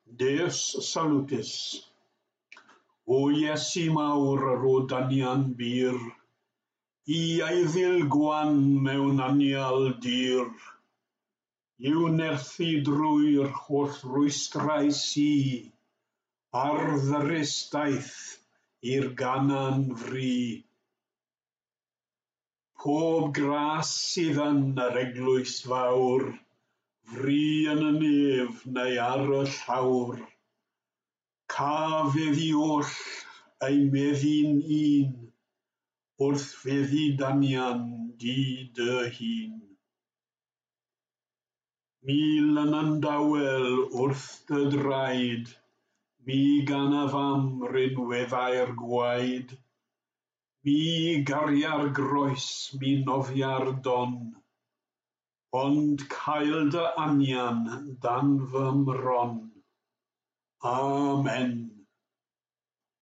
Deus Salutis. O Iesu mawr, o danian bur, i eiddil gwan mewn anial dir, i'w nerthu drwy'r holl rwystrau sy, ar ddyrys daith i'r Ganaan fri. Pob gras sydd yn yr eglwys fawr, fri yn y nef neu ar y llawr, ca feddi oll eu meddu'n un, wrth feddu danian di dy hun. Mi lyna'n dawel wrth dy draed, mi ganaf am rinweddau'r gwaed, mi garia'r groes, mi nofia'r don, ond cael dy anian dan fy mron. Amen.